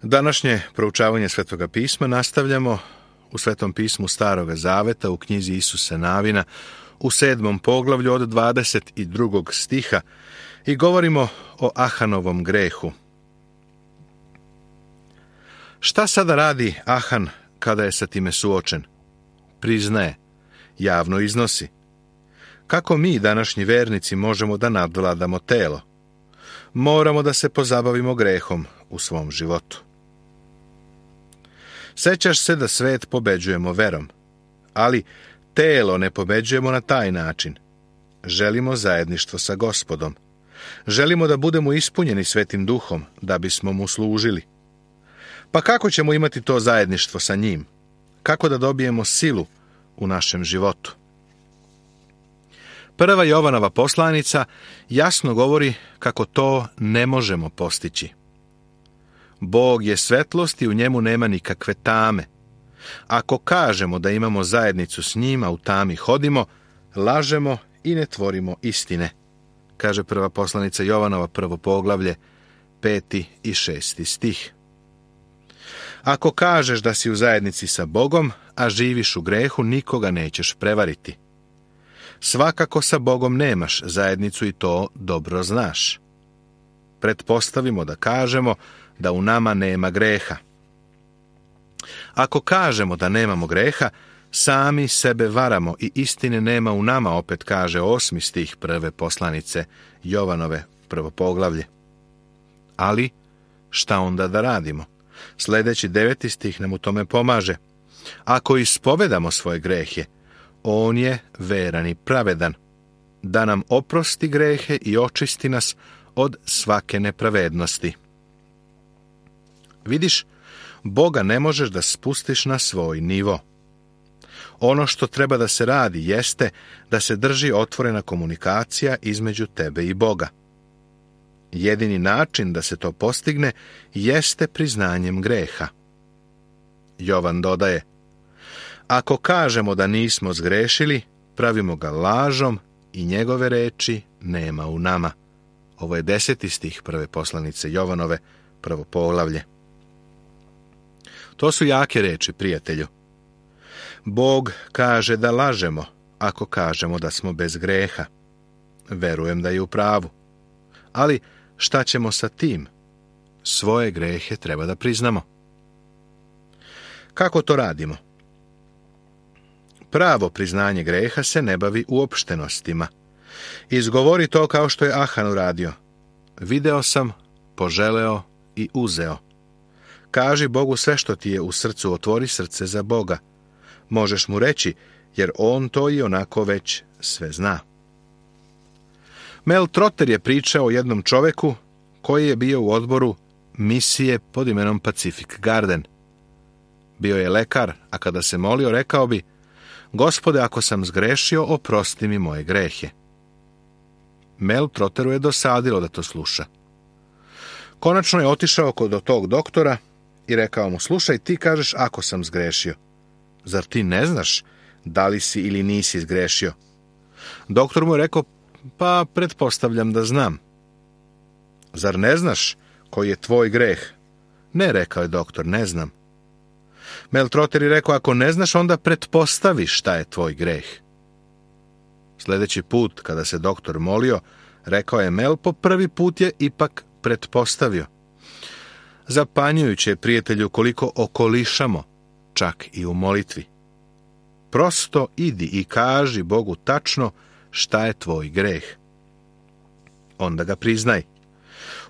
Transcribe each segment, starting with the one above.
Današnje proučavanje Svetoga pisma nastavljamo u Svetom pismu Staroga zaveta u knjizi Isuse Navina u 7. poglavlju od 22. stiha i govorimo o Ahanovom grehu. Šta sada radi Ahan kada je sa time suočen? Priznaje, javno iznosi. Kako mi, današnji vernici, možemo da nadvladamo telo? Moramo da se pozabavimo grehom u svom životu. Sećaš se da svet pobeđujemo verom, ali telo ne pobeđujemo na taj način. Želimo zajedništvo sa Gospodom. Želimo da budemo ispunjeni Svetim Duhom, da bismo mu služili. Pa kako ćemo imati to zajedništvo sa njim? Kako da dobijemo silu u našem životu? Prva Jovanova poslanica jasno govori kako to ne možemo postići. Bog je svetlost i u njemu nema nikakve tame. Ako kažemo da imamo zajednicu s njim, a u tami hodimo, lažemo i ne tvorimo istine, kaže prva poslanica Jovanova, 1. poglavlje, 5. i 6. stih. Ako kažeš da si u zajednici sa Bogom, a živiš u grehu, nikoga nećeš prevariti. Svakako sa Bogom nemaš zajednicu i to dobro znaš. Pretpostavimo da kažemo da u nama nema greha. Ako kažemo da nemamo greha, sami sebe varamo i istine nema u nama, opet kaže 8. stih prve poslanice Jovanove, 1. poglavlje. Ali, šta onda da radimo? Sljedeći 9. stih nam u tome pomaže. Ako ispovedamo svoje grehe, on je veran i pravedan, da nam oprosti grehe i očisti nas od svake nepravednosti. Vidiš, Boga ne možeš da spustiš na svoj nivo. Ono što treba da se radi jeste da se drži otvorena komunikacija između tebe i Boga. Jedini način da se to postigne jeste priznanjem greha. Jovan dodaje, ako kažemo da nismo zgrešili, pravimo ga lažom i njegove reči nema u nama. Ovo je 10. stih prve poslanice Jovanove, 1. poglavlje. To su jake reči, prijatelju. Bog kaže da lažemo ako kažemo da smo bez greha. Verujem da je u pravu. Ali šta ćemo sa tim? Svoje grehe treba da priznamo. Kako to radimo? Pravo priznanje greha se ne bavi uopštenostima. Izgovori to kao što je Ahan uradio. Video sam, poželeo i uzeo. Kaži Bogu sve što ti je u srcu, otvori srce za Boga. Možeš mu reći, jer on to i onako već sve zna. Mel Trotter je pričao o jednom čoveku koji je bio u odboru misije pod imenom Pacific Garden. Bio je lekar, a kada se molio rekao bi, Gospode, ako sam zgrešio, oprosti mi moje grehe. Mel Trotteru je dosadilo da to sluša. Konačno je otišao kod tog doktora i rekao mu, slušaj, ti kažeš ako sam zgrešio. Zar ti ne znaš da li si ili nisi zgrešio? Doktor mu je rekao, pa pretpostavljam da znam. Zar ne znaš koji je tvoj greh? Ne, rekao je doktor, ne znam. Mel Trotter je rekao, ako ne znaš, onda pretpostavi šta je tvoj greh. Sljedeći put, kada se doktor molio, rekao je Mel, po prvi put je ipak pretpostavio. Zapanjujuće je, prijatelju, koliko okolišamo, čak i u molitvi. Prosto idi i kaži Bogu tačno šta je tvoj greh. Onda ga priznaj.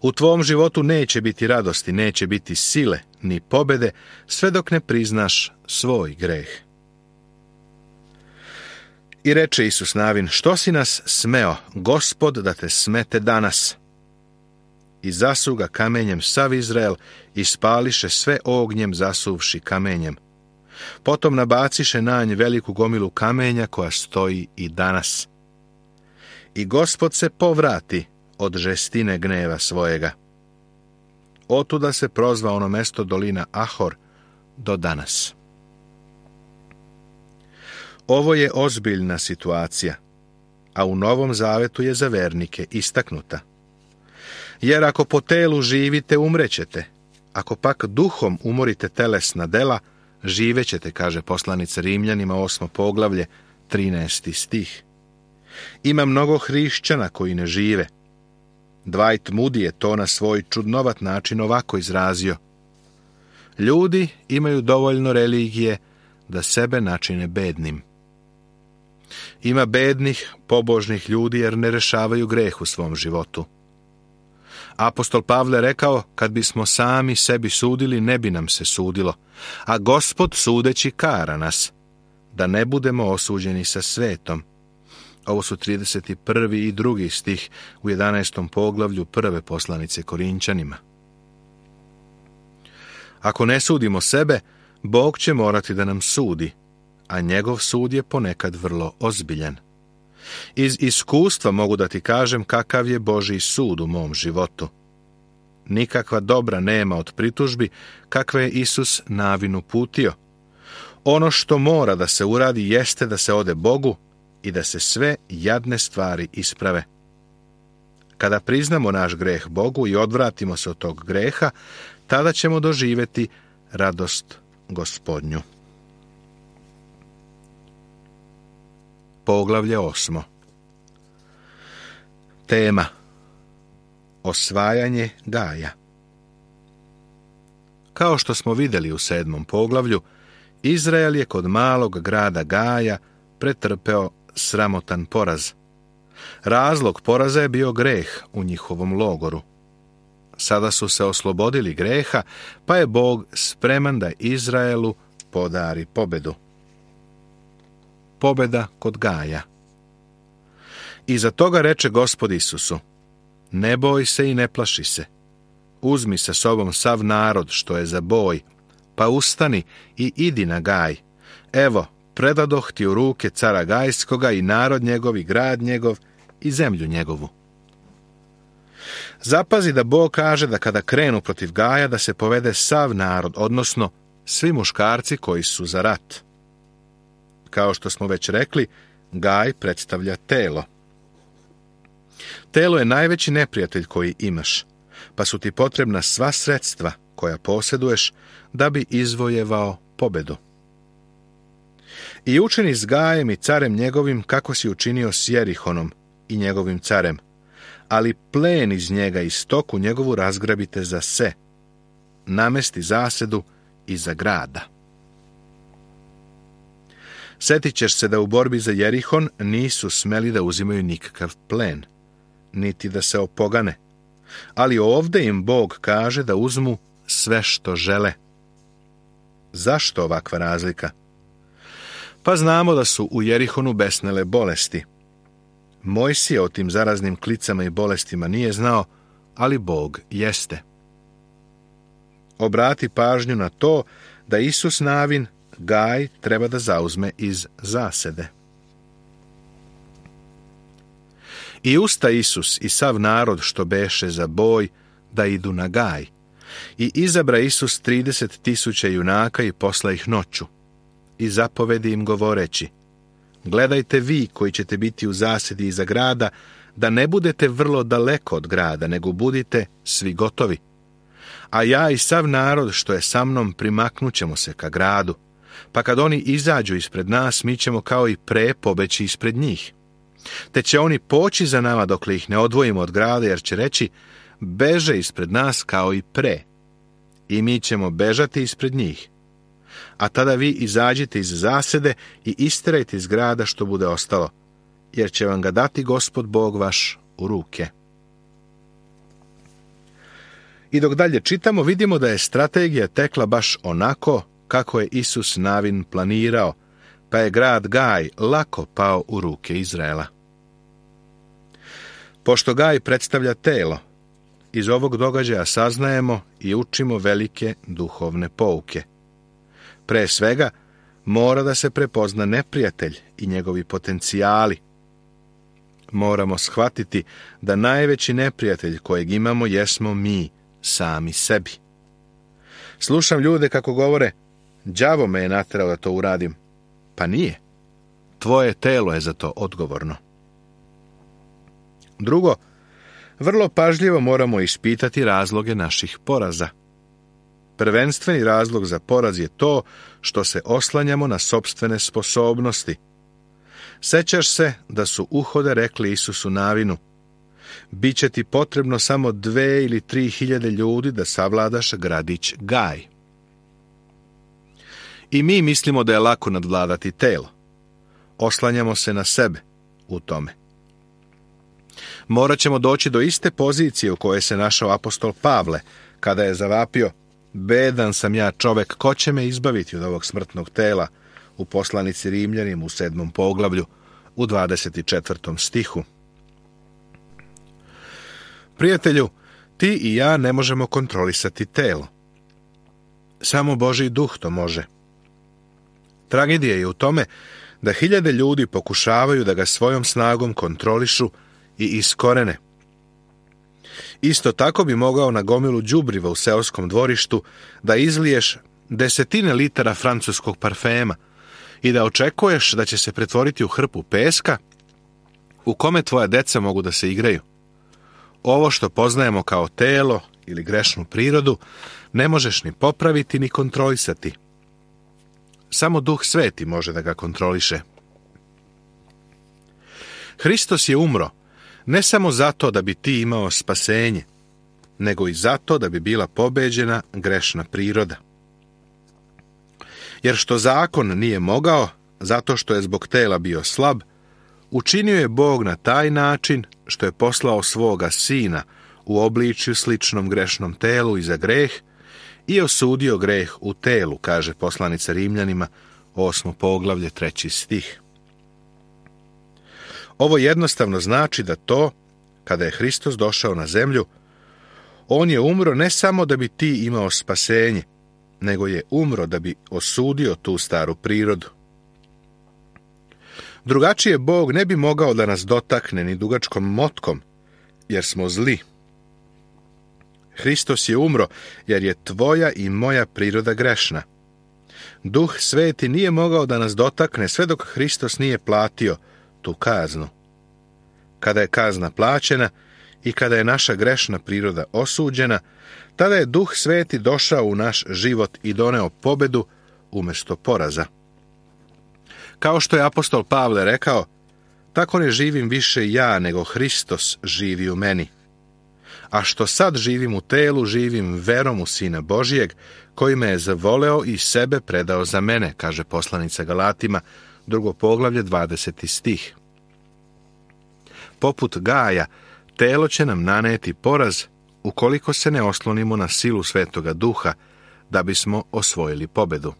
U tvom životu neće biti radosti, neće biti sile, ni pobede, sve dok ne priznaš svoj greh. I reče Isus Navin, što si nas smeo, Gospod, da te smete danas? I zasu ga kamenjem sav Izrael i spališe sve ognjem zasuvši kamenjem. Potom nabaciše na nj veliku gomilu kamenja koja stoji i danas. I Gospod se povrati od žestine gneva svojega. Otuda se prozva ono mesto dolina Ahor do danas. Ovo je ozbiljna situacija, a u Novom Zavetu je za vernike istaknuta. Jer ako po telu živite, umrećete, Ako pak duhom umorite telesna dela, živećete, kaže poslanica Rimljanima 8. poglavlje, 13. stih. Ima mnogo hrišćana koji ne žive. Dwight Moody je to na svoj čudnovat način ovako izrazio. Ljudi imaju dovoljno religije da sebe načine bednim. Ima bednih, pobožnih ljudi jer ne rešavaju greh u svom životu. Apostol Pavle rekao, kad bismo sami sebi sudili, ne bi nam se sudilo, a Gospod sudeći kara nas, da ne budemo osuđeni sa svetom. Ovo su 31. i 2. stih u 11. poglavlju prve poslanice Korinčanima. Ako ne sudimo sebe, Bog će morati da nam sudi, a njegov sud je ponekad vrlo ozbiljan. Iz iskustva mogu da ti kažem kakav je Božji sud u mom životu. Nikakva dobra nema od pritužbi kakve je Isus Navinu uputio. Ono što mora da se uradi jeste da se ode Bogu i da se sve jadne stvari isprave. Kada priznamo naš greh Bogu i odvratimo se od tog greha, tada ćemo doživjeti radost Gospodnju. Poglavlje 8. Tema: osvajanje Gaja. Kao što smo vidjeli u 7. poglavlju, Izrael je kod malog grada Gaja pretrpeo sramotan poraz. Razlog poraza je bio greh u njihovom logoru. Sada su se oslobodili greha, pa je Bog spreman da Izraelu podari pobedu. Pobeda kod Gaja. Iza toga reče Gospod Isusu: ne boj se i ne plaši se. Uzmi sa sobom sav narod što je za boj, pa ustani i idi na Gaj. Evo, predadoh ti u ruke cara Gajskoga i narod njegov i grad njegov i zemlju njegovu. Zapazi da Bog kaže da kada krenu protiv Gaja da se povede sav narod, odnosno svi muškarci koji su za rat. Kao što smo već rekli, Gaj predstavlja telo. Telo je najveći neprijatelj koji imaš, pa su ti potrebna sva sredstva koja posjeduješ da bi izvojevao pobedu. I učini s Gajem i carem njegovim kako si učinio s Jerihonom i njegovim carem, ali plen iz njega i stoku njegovu razgrabite za se, namesti zasedu iza grada. Setit ćeš se da u borbi za Jerihon nisu smeli da uzimaju nikakav plen, niti da se opogane, ali ovdje im Bog kaže da uzmu sve što žele. Zašto ovakva razlika? Pa znamo da su u Jerihonu besnele bolesti. Mojsije o tim zaraznim klicama i bolestima nije znao, ali Bog jeste. Obrati pažnju na to da Isus Navin Gaj treba da zauzme iz zasede. I usta Isus i sav narod što beše za boj da idu na Gaj. I izabra Isus 30.000 junaka i posla ih noću. I zapovedi im govoreći: gledajte vi koji ćete biti u zasedi iza grada, da ne budete vrlo daleko od grada, nego budite svi gotovi. A ja i sav narod što je sa mnom primaknut ćemo se ka gradu, pa kad oni izađu ispred nas, mi ćemo kao i pre pobeći ispred njih. Te će oni poći za nama dokle ih ne odvojimo od grada, jer će reći: beže ispred nas kao i pre. I mi ćemo bežati ispred njih. A tada vi izađite iz zasede i isterajte iz grada što bude ostalo, jer će vam ga dati Gospod Bog vaš u ruke. I dok dalje čitamo, vidimo da je strategija tekla baš onako kako je Isus Navin planirao, pa je grad Gaj lako pao u ruke Izraela. Pošto Gaj predstavlja telo, iz ovog događaja saznajemo i učimo velike duhovne pouke. Pre svega, mora da se prepozna neprijatelj i njegovi potencijali. Moramo shvatiti da najveći neprijatelj kojeg imamo jesmo mi, sami sebi. Slušam ljude kako govore: đavo me je naterao da to uradim. Pa nije. Tvoje telo je za to odgovorno. Drugo, vrlo pažljivo moramo ispitati razloge naših poraza. Prvenstveni razlog za poraz je to što se oslanjamo na sopstvene sposobnosti. Sećaš se da su Uhode rekli Isusu Navinu: biće ti potrebno samo 2 ili 3 hiljade ljudi da savladaš gradić Gaj. I mi mislimo da je lako nadvladati telo. Oslanjamo se na sebe u tome. Morat ćemo doći do iste pozicije u kojoj se našao apostol Pavle, kada je zavapio: bedan sam ja čovek, ko će me izbaviti od ovog smrtnog tela, u poslanici Rimljanima u 7. poglavlju, u 24. stihu. Prijatelju, ti i ja ne možemo kontrolisati telo. Samo Božji duh to može. Tragedija je u tome da hiljade ljudi pokušavaju da ga svojom snagom kontrolišu i iskorene. Isto tako bi mogao na gomilu đubriva u seoskom dvorištu da izliješ 10 litara francuskog parfema i da očekuješ da će se pretvoriti u hrpu peska u kome tvoja deca mogu da se igraju. Ovo što poznajemo kao telo ili grešnu prirodu ne možeš ni popraviti ni kontrolisati. Samo Duh Sveti može da ga kontroliše. Hristos je umro ne samo zato da bi ti imao spasenje, nego i zato da bi bila pobeđena grešna priroda. Jer što zakon nije mogao, zato što je zbog tela bio slab, učinio je Bog na taj način što je poslao svoga Sina u obličju sličnom grešnom telu i za greh i osudio greh u telu, kaže poslanica Rimljanima, 8. poglavlje, 3. stih. Ovo jednostavno znači da to, kada je Hristos došao na zemlju, on je umro ne samo da bi ti imao spasenje, nego je umro da bi osudio tu staru prirodu. Drugačije Bog ne bi mogao da nas dotakne ni dugačkom motkom, jer smo zli. Hristos je umro jer je tvoja i moja priroda grešna. Duh Sveti nije mogao da nas dotakne sve dok Hristos nije platio tu kaznu. Kada je kazna plaćena i kada je naša grešna priroda osuđena, tada je Duh Sveti došao u naš život i doneo pobedu umjesto poraza. Kao što je apostol Pavle rekao: tako ne živim više ja, nego Hristos živi u meni. A što sad živim u telu, živim verom u Sina Božijeg, koji me je zavoleo i sebe predao za mene, kaže poslanica Galatima, 2. poglavlje, 20. stih. Poput Gaja, telo će nam naneti poraz ukoliko se ne oslonimo na silu Svetoga Duha da bismo osvojili pobedu.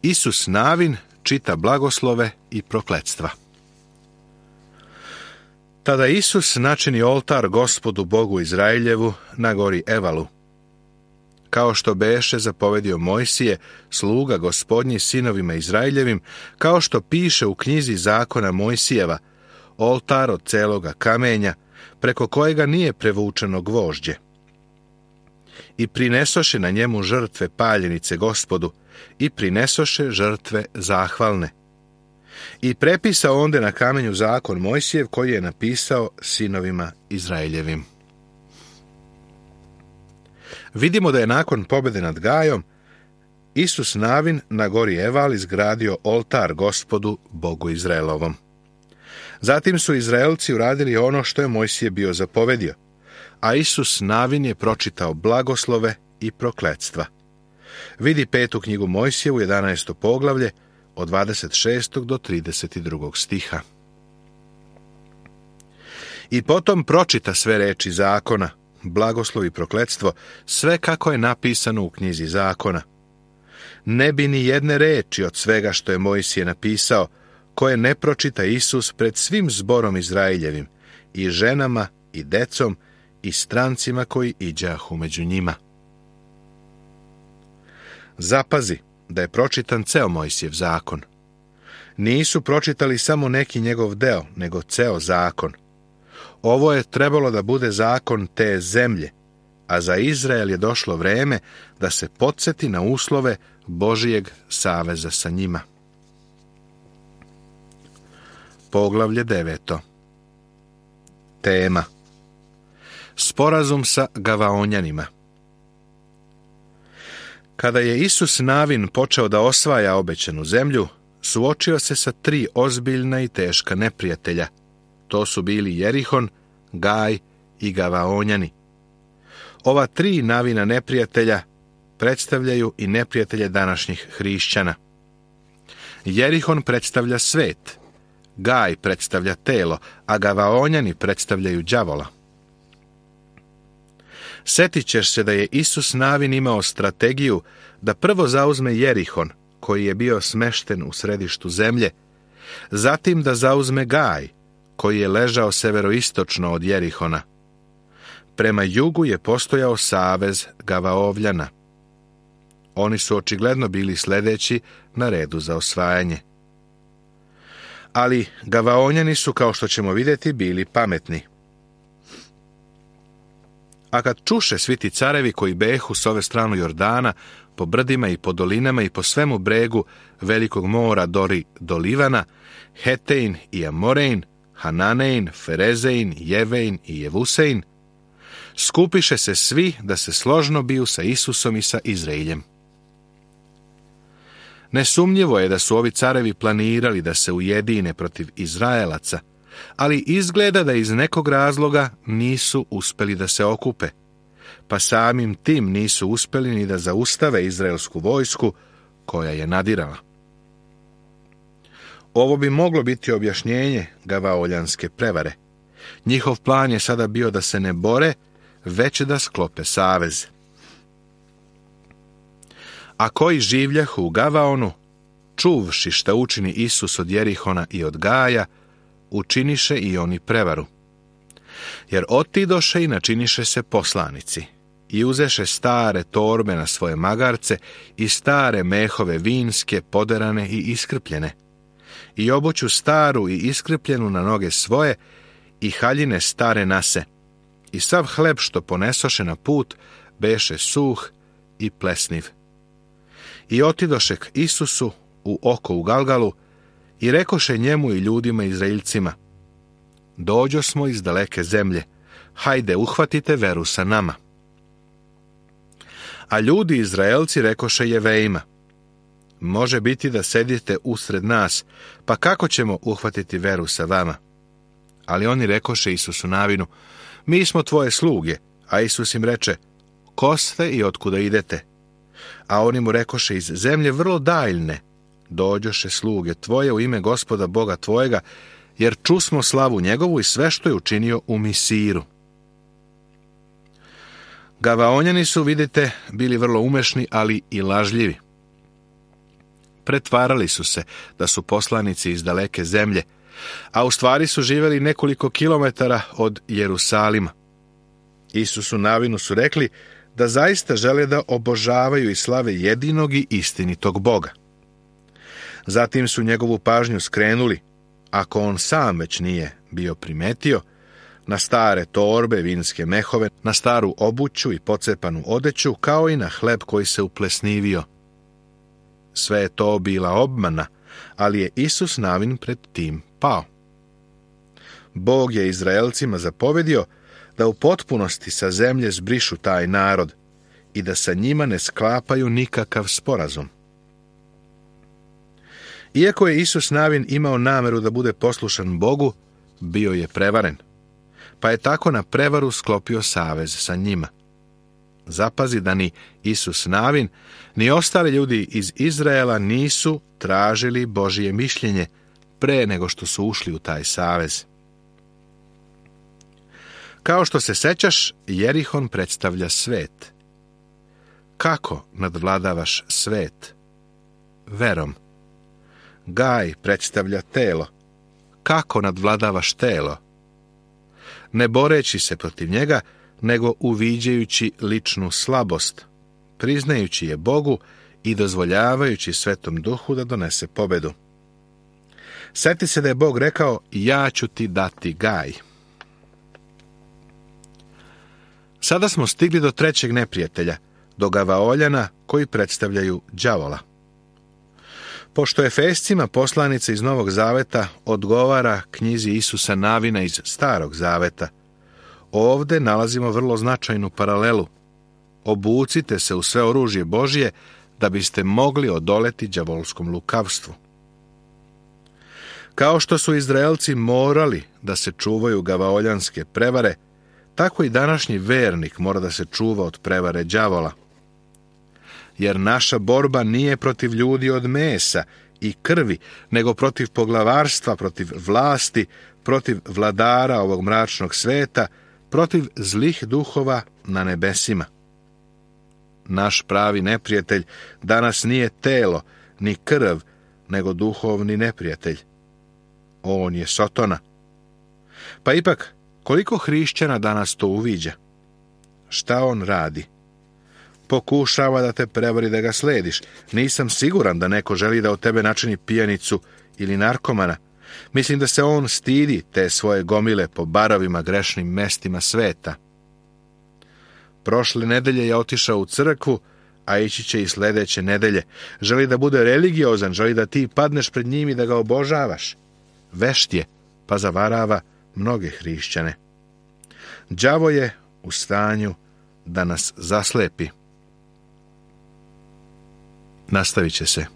Isus Navin čita blagoslove i prokletstva. Tada Isus načini oltar Gospodu Bogu Izraeljevu na gori Evalu. Kao što beše zapovedio Mojsije, sluga Gospodnji sinovima Izraeljevim, kao što piše u knjizi zakona Mojsijeva, oltar od celoga kamenja, preko kojega nije prevučeno gvožđe. I prinesoše na njemu žrtve paljenice Gospodu, i prinesoše žrtve zahvalne. I prepisao onde na kamenju zakon Mojsijev, koji je napisao sinovima Izraeljevim. Vidimo da je nakon pobjede nad Gajom Isus Navin na gori Eval izgradio oltar Gospodu Bogu Izraelovom. Zatim su Izraelci uradili ono što je Mojsije bio zapovedio, a Isus Navin je pročitao blagoslove i prokletstva. Vidi 5. knjigu Mojsijevu, 11. poglavlje, od 26. do 32. stiha. I potom pročita sve reči zakona, blagoslov i prokletstvo, sve kako je napisano u knjizi zakona. Ne bi ni jedne reči od svega što je Mojsije napisao, koje ne pročita Isus pred svim zborom Izraeljevim, i ženama, i decom, i strancima koji iđahu među njima. Zapazi da je pročitan ceo Mojsijev zakon. Nisu pročitali samo neki njegov deo, nego ceo zakon. Ovo je trebalo da bude zakon te zemlje, a za Izrael je došlo vreme da se podsjeti na uslove Božijeg saveza sa njima. Poglavlje 9. Tema: Sporazum sa Gavaonjanima. Kada je Isus Navin počeo da osvaja obećanu zemlju, suočio se sa 3 ozbiljna i teška neprijatelja. To su bili Jerihon, Gaj i Gavaonjani. Ova 3 Navina neprijatelja predstavljaju i neprijatelje današnjih hrišćana. Jerihon predstavlja svet, Gaj predstavlja telo, a Gavaonjani predstavljaju đavola. Setit ćeš se da je Isus Navin imao strategiju da prvo zauzme Jerihon, koji je bio smešten u središtu zemlje, zatim da zauzme Gaj, koji je ležao severoistočno od Jerihona. Prema jugu je postojao savez Gavaovljana. Oni su očigledno bili sledeći na redu za osvajanje. Ali Gavaonjani su, kao što ćemo vidjeti, bili pametni. A kad čuše svi ti carevi koji behu s ove stranu Jordana, po brdima i po dolinama i po svemu bregu velikog mora do Livana, Hetein i Amorein, Hananein, Ferezein, Jevein i Jevusein, skupiše se svi da se složno biju sa Isusom i sa Izraeljem. Nesumnjivo je da su ovi carevi planirali da se ujedine protiv Izraelaca, ali izgleda da iz nekog razloga nisu uspeli da se okupe, pa samim tim nisu uspeli ni da zaustave izraelsku vojsku koja je nadirala. Ovo bi moglo biti objašnjenje Gavaoljanske prevare. Njihov plan je sada bio da se ne bore, već da sklope savez. A koji življahu u Gavaonu, čuvši šta učini Isus od Jerihona i od Gaja, učiniše i oni prevaru. Jer otidoše i načiniše se poslanici, i uzeše stare torbe na svoje magarce i stare mehove vinske, poderane i iskrpljene, i obuću staru i iskrpljenu na noge svoje, i haljine stare nase, i sav hleb što ponesoše na put, beše suh i plesniv. I otidoše k Isusu u oko u Galgalu, i rekoše njemu i ljudima Izraeljcima: dođo smo iz daleke zemlje, hajde uhvatite veru sa nama. A ljudi Izraelci rekoše Jevejima: može biti da sedite usred nas, pa kako ćemo uhvatiti veru sa vama? Ali oni rekoše Isusu Navinu: mi smo tvoje sluge. A Isus im reče: ko ste i otkuda idete? A oni mu rekoše: iz zemlje vrlo daljne dođoše sluge tvoje u ime Gospoda Boga tvojega, jer čusmo slavu njegovu i sve što je učinio u Misiru. Gavaonjani su, vidite, bili vrlo umešni, ali i lažljivi. Pretvarali su se da su poslanici iz daleke zemlje, a u stvari su živjeli nekoliko kilometara od Jerusalima. Isusu Navinu su rekli da zaista žele da obožavaju i slave jedinog i istinitog Boga. Zatim su njegovu pažnju skrenuli, ako on sam već nije bio primetio, na stare torbe, vinske mehove, na staru obuću i pocepanu odeću, kao i na hleb koji se uplesnivio. Sve je to bila obmana, ali je Isus Navin pred tim pao. Bog je Izraelcima zapovedio da u potpunosti sa zemlje zbrišu taj narod i da sa njima ne sklapaju nikakav sporazum. Iako je Isus Navin imao nameru da bude poslušan Bogu, bio je prevaren, pa je tako na prevaru sklopio savez sa njima. Zapazi da ni Isus Navin, ni ostali ljudi iz Izraela nisu tražili Božje mišljenje pre nego što su ušli u taj savez. Kao što se sećaš, Jerihon predstavlja svet. Kako nadvladavaš svet? Verom. Gaj predstavlja telo. Kako nadvladavaš telo? Ne boreći se protiv njega, nego uviđajući ličnu slabost, priznajući je Bogu i dozvoljavajući Svetom Duhu da donese pobedu. Sjeti se da je Bog rekao: ja ću ti dati Gaj. Sada smo stigli do trećeg neprijatelja, do Gavaoljana, koji predstavljaju đavola. Pošto Efescima poslanica iz Novog Zaveta odgovara knjizi Isusa Navina iz Starog Zaveta, ovde nalazimo vrlo značajnu paralelu. obucite se u sve oružje Božje, da biste mogli odoleti đavolskom lukavstvu. Kao što su Izraelci morali da se čuvaju gavaoljanske prevare, tako i današnji vernik mora da se čuva od prevare đavola. Jer naša borba nije protiv ljudi od mesa i krvi, nego protiv poglavarstva, protiv vlasti, protiv vladara ovog mračnog sveta, protiv zlih duhova na nebesima. Naš pravi neprijatelj danas nije telo, ni krv, nego duhovni neprijatelj. On je Sotona. Pa ipak, koliko hrišćana danas to uviđa? Šta on radi? Pokušava da te prevari da ga slediš. Nisam siguran da neko želi da od tebe načini pijanicu ili narkomana. Mislim da se on stidi te svoje gomile po barovima grešnim mestima sveta. Prošle nedelje je otišao u crkvu, a ići će i sledeće nedelje. Želi da bude religiozan, želi da ti padneš pred njim i da ga obožavaš. Vešt je, pa zavarava mnoge hrišćane. Đavo je u stanju da nas zaslepi. Nastavit će se.